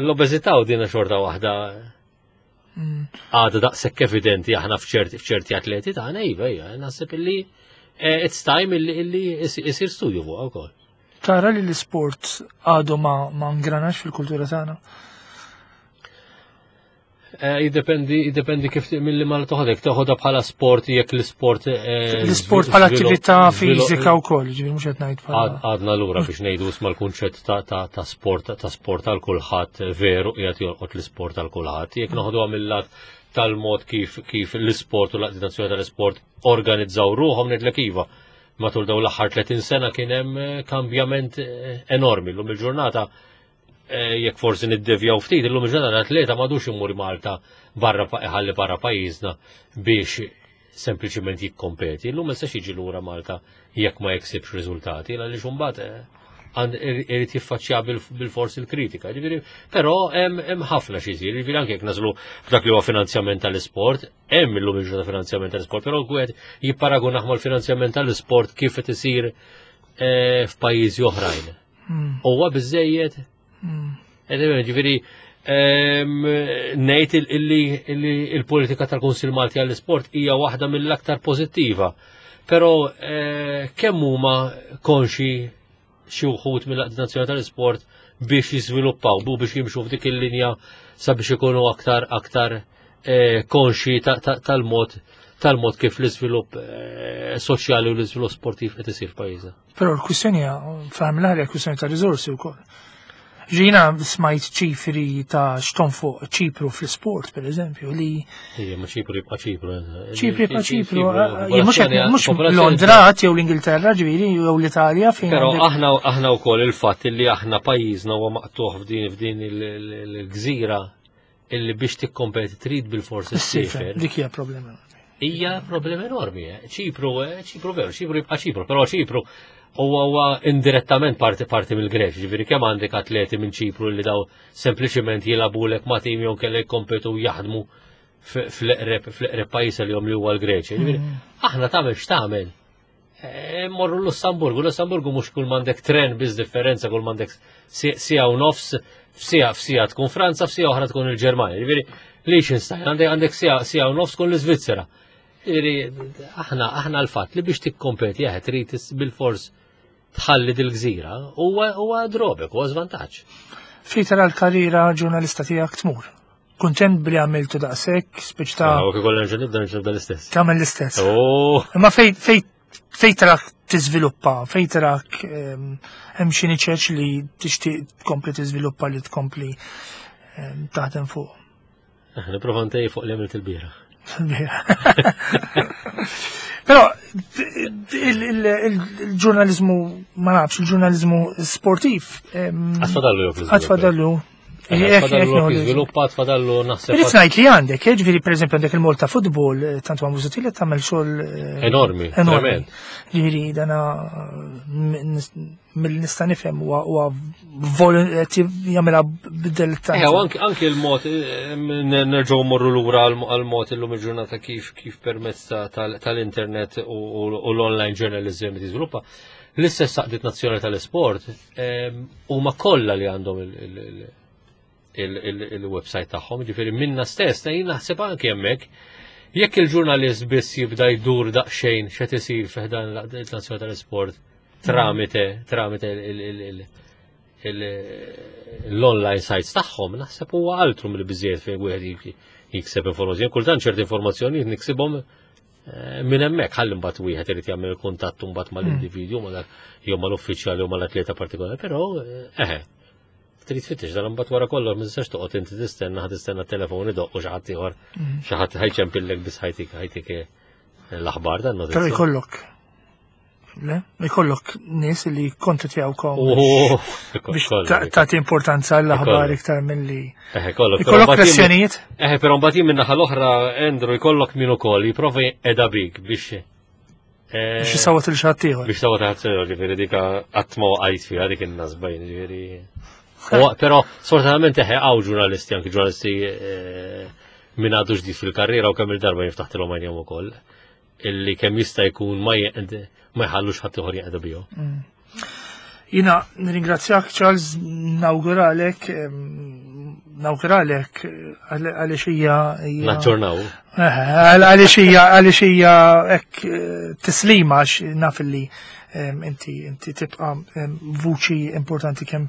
l-obeżità u dina xorta waħda għadha daqshekk evidenti aħna f'ċerti atleti tagħna iva, iva, naħseb illi eh, it's time illi isir studju fuq ukoll. Tara li l-isport għadu ma, ma ngranax fil-kultura tagħna? Eh, jiddependi, jiddependi kif mill-li mal toħodek, toħodha bħala sport jekk l-isport. Eh, l-isport bħala attività fiżika wkoll, ġifieri mhux qed ngħid bħala. Għadna lura biex ngħidu isma' l-kunċett ta' sport ta' sport għal kulħadd veru qiegħed jolqot l-isport għal kulħadd. Jekk noħduha mill-lat tal-mod kif kif l-isport u l-Għaqdiet Nazzjonali tal-Isport organizzaw ruħhom ngħidlek iva. Matul dawn l-aħħar 30 sena kien hemm eh, kambjament eh, enormi llum il-ġurnata eh, jekk forsi niddevjaw ftit illum il-ġurnata l-atleta m'għadux imur Malta barra ħalli barra pajjiżna biex sempliċiment jikkompeti. Illum ma jistax jiġi lura Malta jekk ma jeksibx riżultati, għaliex imbagħad eh, irid jiffaċċja bil-fors il-kritika. Ġifieri, però hemm ħafna xi jsir, ġifieri anke jekk naslu f'dak li huwa finanzjament tal-isport, hemm illum il finanzjament tal-isport, però wieħed jipparagunah mal-finanzjament tal-isport kif qed isir eh, f'pajjiżi oħrajn. Huwa biżejjed Hmm. Ġifieri ngħid illi il-politika tal-Kunsil Malti għall-Isport hija waħda mill-aktar pożittiva. Però eh, kemm huma konxi xi wħud mill-Aqdi Nazzjonali tal-Isport biex jiżviluppaw, bu biex jimxu f'dik il-linja sabiex ikunu aktar aktar eh, konxi tal-mod tal-mod kif l-iżvilupp eh, soċjali u l-iżvilupp sportiv qed isir f'pajjiżna. Però l-kwistjoni hija fl l kwistjoni ta' riżorsi wkoll. Ġina smajt ċifri ta' xton fuq ċipru fl-sport, per eżempju, li. Ija, ma ċipru jibqa' ċipru. Eh. Ċipru jibqa' ċipru. Eh, mhux Londra jew l-Ingilterra ġifieri jew l-Italja fejn. Però aħna aħna wkoll il-fatt li aħna pajjiżna huwa maqtuħ f'din f'din il-gżira illi biex tikkompeti trid bil-forsi ssifer. Dik hija problema. Hija problema enormi. Eh. Ċipru, eh, Ċipru veru, Ċipru jibqa' Ċipru, però Ċipru huwa huwa indirettament parti parti mill-Greċ, ġifieri kemm għandek atleti minn Ċipru li daw sempliċiment jilagħbulek ma' tim jew kellek jkompetu jaħdmu fl-eqreb fl-eqreb pajjiż li li huwa l-Greċja. Ġifieri mm. aħna tagħmel x'tagħmel. Eh, morru l-Lussamburgu, Lussamburgu mhux kull m'għandek tren biss differenza kull m'għandek sija u nofs f'sija f'sija tkun Franza, f'sija oħra tkun il-Ġermanja. Ġifieri Liechtenstein għandek għandek sija sija u nofs tkun l-Iżvizzera. Ġifieri aħna aħna l-fatt li biex tikkompeti jaħed trid bil-fors tħalli dil-gżira huwa huwa drobek, huwa żvantaġġ. Fejn tara l-karriera ġurnalista tiegħek tmur? Kuntent bli għamiltu daqshekk, speċi ta' U kif kollha nerġa' nibda nerġa' nibda l-istess. Tagħmel l-istess. Oh. Imma fej fej fej tarak tiżviluppa, fej tarak ehm, hemm xi niċeċ li tixtieq tkompli tiżviluppa li tkompli ehm, taħdem fuq. Eh, nipprova ntej fuq li għamilt il-bieraħ. Però il-ġurnalizmu, ma nafx, il-ġurnalizmu sportiv. Ehm, Għatfadallu Għatfadallu. Għatfadallu jiżviluppa, għatfadallu naħseb. Irrid ngħid li għandek, eh, ġifieri pereżempju għandek il-Malta Football, eh, tant ma mużuti li tagħmel xogħol eh, enormi. Enormi. Ġifieri dana mill nista' nifhem huwa jagħmilha bidel ta' eh, anki l-mod eh, nerġgħu morru lura għall-mod illum il-ġurnata kif kif permezz tal-internet u l-online journalism tiżviluppa. L-istess saqdiet nazzjonali tal-isport huma kollha li għandhom il-website tagħhom, ġifieri minna stess, jien naħseb anke hemmhekk jekk il-ġurnalist biss jibda jdur daqsxejn x'qed isir fi ħdan l-Nazzjonali tal-Isport tramite tramite l-online sites tagħhom, naħseb huwa altru mill biżjed fejn wieħed jikseb informazzjoni. Kultant ċerti informazzjoni niksibhom Eh, minn hemmhekk ħalli mbagħad wieħed irid jagħmel il-kuntatt mbagħad mal-individwu ma dak jew mal-uffiċjali jew mal-atleta partikolari, però eh, eħe. Trid tfittex dan mbagħad wara kollox ma tistax toqgħod inti tistenna ħa tistenna telefon idoq u xi ħadd ieħor mm. xi ħadd ħajċempillek biss ħajtik ħajtik eh, l-aħbar dan Però jkollok Le, jkollok nies li kontattjawkom oh, biex tagħti importanza l-aħbar iktar milli. Eh, kollok. Jkollok pressjonijiet? Eh, però mbagħad jien min-naħa l-oħra Andrew jkollok min ukoll jipprova qiegħda bik biex eh, biex jisawat il xatt ieħor. Biex sawat ħadd ieħor, ġifieri dik qatt ma waqajt fiha dik in-nasba ġifieri. Però sfortunatament eħe hawn ġurnalisti anki ġurnalisti eh, minn għadu ġdid fil-karriera u kemm il-darba jiftaħtilhom għajnejhom ukoll illi kemm jista' jkun ma ma jħallux ħadd ieħor jeqdu bihom. Mm. Jina nirringrazzjak Charles nawguralek nawguralek għaliex hija Naġġornaw. Eh, għaliex hija għaliex hija hekk eh, tislima għax naf li inti inti tibqa' vuċi importanti kemm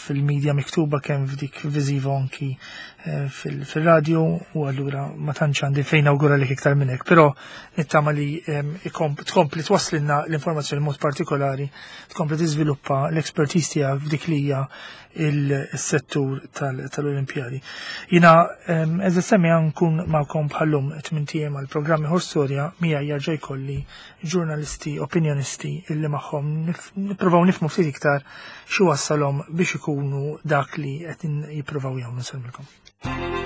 fil-medja miktuba kemm f'dik viżiva anki eh, fil-radio u allura ma tantx għandi fejn awgura lek iktar minn hekk, però nittama li tkompli twasslilna l-informazzjoni mod partikolari, tkompli tiżviluppa l-expertise tiegħek f'dik li hija il-settur tal-Olimpjadi. Jina, eżatt semmi nkun magħkom bħallum tmien għal programmi ħor storja mija jarġa' jkolli ġurnalisti, opinjonisti illi magħhom nippruvaw nifhmu ftit iktar xi wassalhom biex ikunu dak li qed jippruvaw jagħmlu. Nsellmilkom.